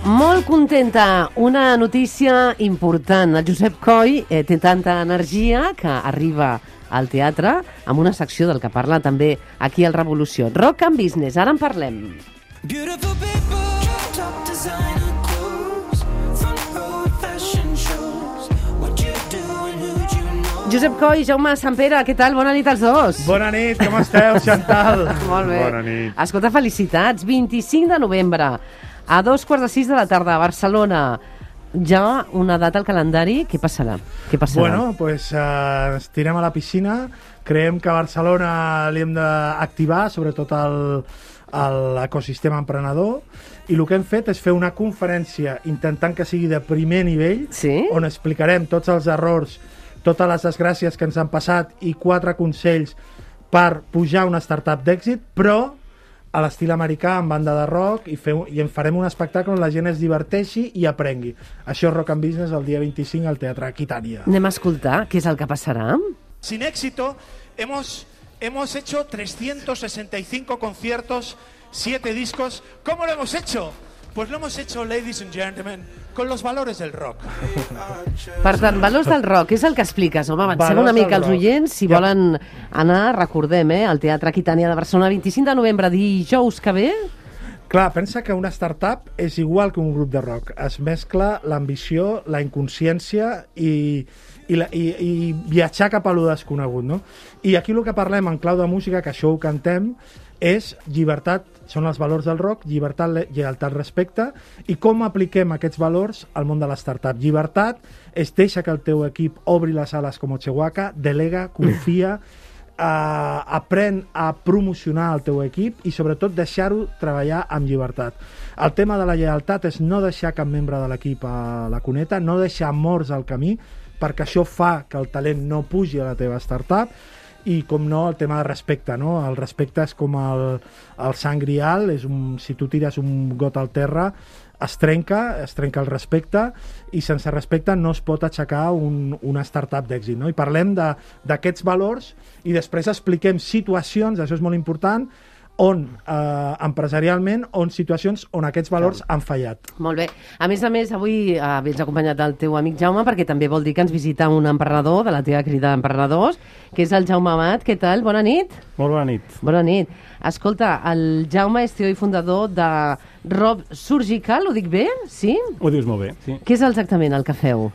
Molt contenta, una notícia important. El Josep Coll té tanta energia que arriba al teatre amb una secció del que parla també aquí al Revolució. Rock and Business, ara en parlem. Josep Coll, Jaume Sampere, què tal? Bona nit als dos. Bona nit, com esteu, Chantal? Molt bé. Bona nit. Escolta, felicitats. 25 de novembre, a 2:15 de la tarda, a Barcelona. Ja una data al calendari, què passarà? Bueno, pues ens tirem a la piscina. Creiem que a Barcelona li hem d'activar, sobretot l'ecosistema emprenedor, i el que hem fet és fer una conferència intentant que sigui de primer nivell, sí? On explicarem tots els errors, totes les desgràcies que ens han passat i 4 consells per pujar una startup d'èxit, però a l'estil americà, amb banda de rock, i en farem un espectacle on la gent es diverteixi i aprengui. Això és Rock and Business el dia 25 al Teatre Aquitània. Anem a escoltar què és el que passarà. Sin éxito, hemos hecho 365 conciertos, 7 discos. ¿Cómo lo hemos hecho? Pues lo hemos hecho, ladies and gentlemen, con los valores del rock. Per tant, valors del rock, és el que expliques, home, avancem una mica als oients, si volen anar, recordem, al Teatre Aquitània de Barcelona, 25 de novembre, dijous que ve. Clar, pensa que una startup és igual que un grup de rock. Es mescla l'ambició, la inconsciència i viatjar cap a lo desconegut, no? I aquí el que parlem en clau de música, que això ho cantem, és llibertat, són els valors del rock, llibertat, lleialtat, respecte, i com apliquem aquests valors al món de la startup. Llibertat és deixa que el teu equip obri les ales com Ochehuaca, delega, confia, aprèn a promocionar el teu equip i sobretot deixar-ho treballar amb llibertat. El tema de la lleialtat és no deixar cap membre de l'equip a la cuneta, no deixar morts al camí, perquè això fa que el talent no pugi a la teva startup, i com no, el tema de respecte, no? El respecte és com el sant grial, si tu tires un got al terra es trenca el respecte, i sense respecte no es pot aixecar una startup d'èxit, no? I parlem d'aquests valors i després expliquem situacions, això és molt important, empresarialment, situacions on aquests valors han fallat. Molt bé. A més, avui vens acompanyat del teu amic Jaume, perquè també vol dir que ens visita un emprenedor de la teva crida d'emprenedors, que és el Jaume Amat. Què tal? Bona nit. Molt bona nit. Bona nit. Escolta, el Jaume és CEO i fundador de Rob Surgical, ho dic bé? Sí? Ho dius molt bé, sí. Què és exactament el que feu?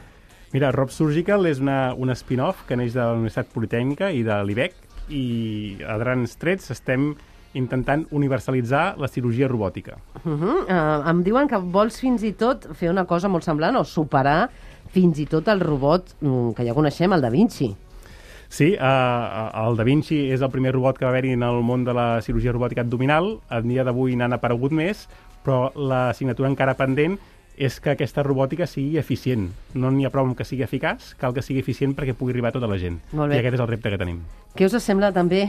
Mira, Rob Surgical és un spin-off que neix de la Universitat Politècnica i de l'IBEC, i a grans trets estem intentant universalitzar la cirurgia robòtica. Em diuen que vols fins i tot fer una cosa molt semblant o superar fins i tot el robot que ja coneixem, el Da Vinci. Sí, el Da Vinci és el primer robot que va haver-hi en el món de la cirurgia robòtica abdominal. A dia d'avui n'han aparegut més, però l'assignatura encara pendent és que aquesta robòtica sigui eficient. No n'hi ha prou que sigui eficaç, cal que sigui eficient perquè pugui arribar a tota la gent. I aquest és el repte que tenim. Què us sembla també,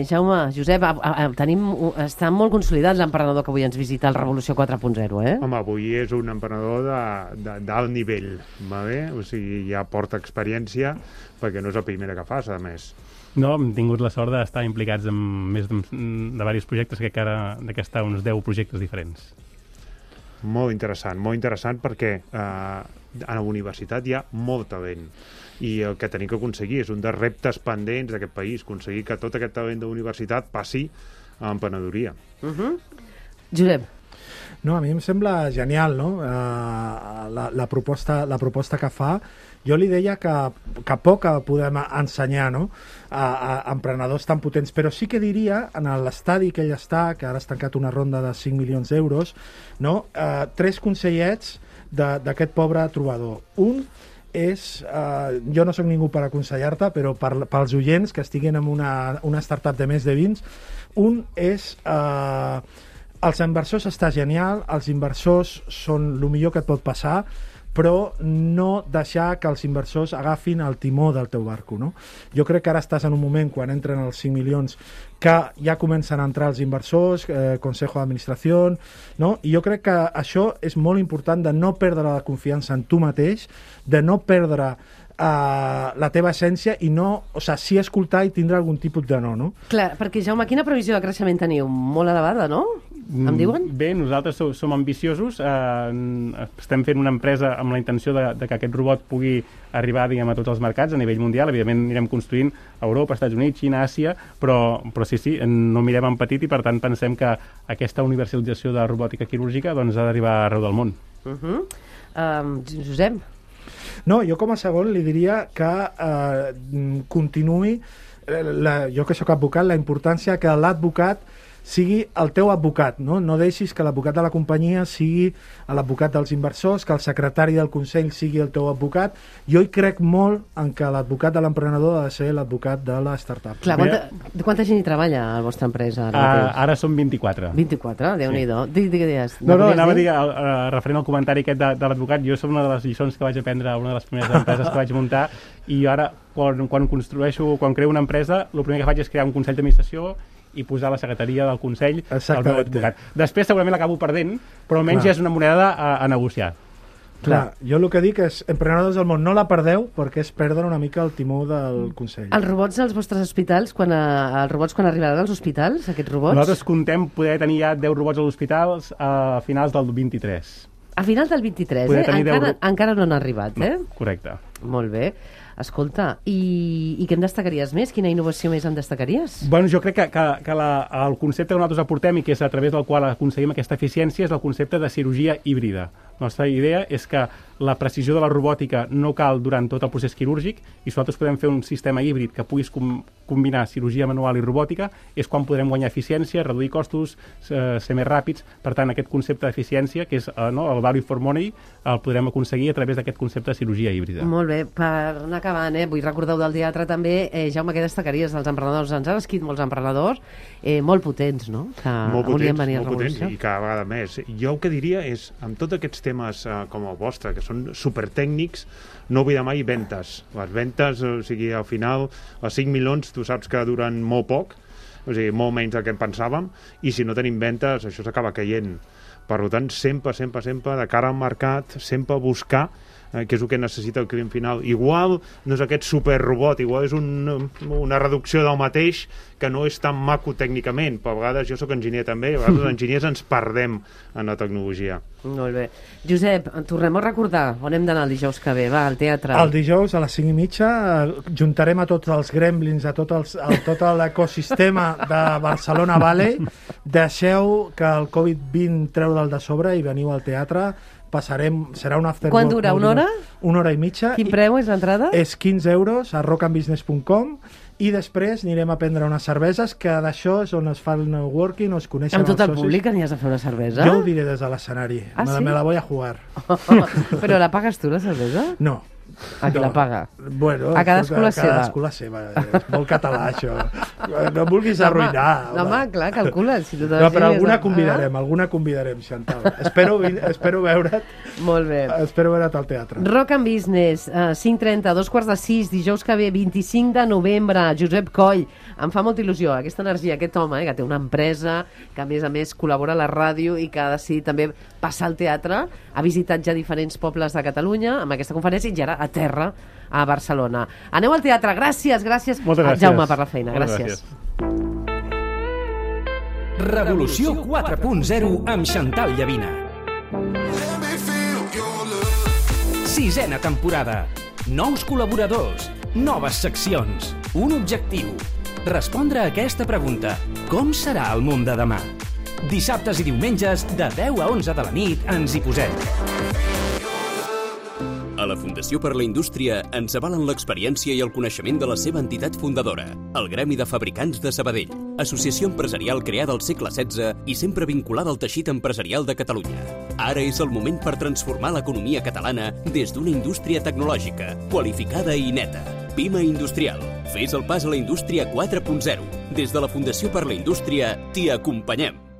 Jaume, Josep? Està molt consolidat l'emprenedor que avui ens visita al Revolució 4.0, eh? Home, avui és un emprenedor d'alt nivell, va bé? O sigui, ja porta experiència, perquè no és la primera que fas, a més. No, hem tingut la sort d'estar implicats en més de diversos projectes, que ara està uns 10 projectes diferents. Molt interessant perquè a la universitat hi ha molt talent i el que tenim que aconseguir és un dels reptes pendents d'aquest país, aconseguir que tot aquest talent de la universitat passi a l'emprenedoria. Josep. No, a mi em sembla genial, no? La proposta que fa. Jo li deia que poc podem ensenyar, no? A emprenedors tan potents, però sí que diria, en l'estadi que ell està, que ara has tancat una ronda de 5 milions d'euros, no? 3 consellets d'aquest pobre trobador. Un és, jo no sóc ningú per aconsellar-te, però pels oients que estiguin en una startup de més de 20, un és... els inversors està genial, els inversors són el millor que et pot passar, però no deixar que els inversors agafin el timó del teu barco, no? Jo crec que ara estàs en un moment, quan entren els 5 milions, que ja comencen a entrar els inversors, Consejo d'Administració, no? I jo crec que això és molt important, de no perdre la confiança en tu mateix, de no perdre la teva essència i no, o sigui, sí escoltar i tindre algun tipus de no? Clar, perquè Jaume, quina previsió de creixement teniu? Molt elevada, no? em diuen? Bé, nosaltres som ambiciosos, estem fent una empresa amb la intenció de que aquest robot pugui arribar, diguem, a tots els mercats a nivell mundial. Evidentment anirem construint a Europa, Estats Units, Xina, Àsia, però sí, no mirem en petit i per tant pensem que aquesta universalització de robòtica quirúrgica doncs, ha d'arribar arreu del món. Josep? No, jo com a segon li diria que continuï, jo que sóc advocat, la importància que l'advocat sigui el teu advocat, no? No deixis que l'advocat de la companyia sigui l'advocat dels inversors, que el secretari del Consell sigui el teu advocat. Jo hi crec molt en que l'advocat de l'emprenedor ha de ser l'advocat de la startup. Clar, quanta gent hi treballa a la vostra empresa? Ara som 24. 24, Déu-n'hi-do. Digues. No, anava a dir, referent al comentari aquest de l'advocat, jo som una de les lliçons que vaig aprendre a una de les primeres empreses que vaig muntar, i ara, quan creo una empresa, el primer que faig és crear un consell d'administració i posar la secretaria del Consell al meu advocat. Després segurament l'acabo perdent, però almenys ja és una moneda a negociar. Clar, jo el que dic és, emprenedors del món, no la perdeu, perquè és perdre una mica el timó del Consell. Els robots als vostres hospitals, quan arribaran als hospitals, aquests robots? Nosaltres contem poder tenir ja 10 robots als hospitals a finals del 23. A finals del 23, encara no han arribat, eh? No, correcte. Molt bé. Escolta, i què en destacaries més? Quina innovació més en destacaries? Bueno, jo crec que el concepte que nosaltres aportem i que és a través del qual aconseguim aquesta eficiència és el concepte de cirurgia híbrida. La nostra idea és que la precisió de la robòtica no cal durant tot el procés quirúrgic, i si nosaltres podem fer un sistema híbrid que puguis combinar cirurgia manual i robòtica, és quan podrem guanyar eficiència, reduir costos, ser més ràpids. Per tant, aquest concepte d'eficiència, que és el value for money, el podrem aconseguir a través d'aquest concepte de cirurgia híbrida. Molt bé. Per anar acabant, vull recordar del teatre també, Jaume, què destacaries dels emprenedors? Ens han escrit molts emprenedors molt potents, no? Que volien venir a Revolució. I cada vegada més. Jo el que diria és, amb tots aquests temes com el vostre, que són supertècnics, no oblidar mai ventes. Les ventes, o sigui, al final, els 5 milions, tu saps que duren molt poc, o sigui, molt menys del que pensàvem, i si no tenim ventes, això s'acaba caient. Per tant, sempre, de cara al mercat, sempre buscar que és el que necessita el client final. Igual no és aquest superrobot, igual és una reducció del mateix que no és tan maco tècnicament. Per vegades, jo sóc enginyer també, a vegades els enginyers ens perdem en la tecnologia. Molt bé. Josep, tornem a recordar on hem d'anar el dijous que ve, va, al teatre. El dijous a les 5:30 juntarem a tots els gremlins, a tot l'ecosistema de Barcelona Valley. Deixeu que el Covid-20 treu del de sobre i veniu al teatre. Serà un after. Quan dura? Una hora? Una hora i mitja. Quin preu és l'entrada? És 15 euros a rockandbusiness.com, i després anirem a prendre unes cerveses, que d'això és on es fa el networking, o es coneixen els socis. Amb tot el públic anies a fer una cervesa? Jo ho diré des de l'escenari. Sí? Me la voy a jugar. Però la pagues tu, la cervesa? No. A qui la paga? Bueno, a cadascú la seva. Cadascú la seva. És molt català, això. No em vulguis arruïnar. No, home, clar, calcula. Si tu però alguna convidarem, Chantal. Espero veure't. Molt bé. Espero veure't al teatre. Rock and Business, 5:30, 5:45, dijous que ve, 25 de novembre, Josep Coll. Em fa molta il·lusió aquesta energia, aquest home, que té una empresa, que a més col·labora a la ràdio i que ha decidit també passar al teatre. Ha visitat ja diferents pobles de Catalunya amb aquesta conferència, i ara a terra a Barcelona. Aneu al teatre. Gràcies, Jaume, per la feina. Gràcies. Revolució 4.0 amb Chantal Llavina. 6ª temporada. Nous col·laboradors, noves seccions, un objectiu. Respondre a aquesta pregunta: com serà el món de demà? Dissabtes i diumenges, de 10 a 11 de la nit, ens hi posem. A la Fundació per la Indústria ens avalen l'experiència i el coneixement de la seva entitat fundadora, el Gremi de Fabricants de Sabadell, associació empresarial creada al segle XVI i sempre vinculada al teixit empresarial de Catalunya. Ara és el moment per transformar l'economia catalana des d'una indústria tecnològica, qualificada i neta. Pima Industrial. Fes el pas a la indústria 4.0. Des de la Fundació per la Indústria t'hi acompanyem.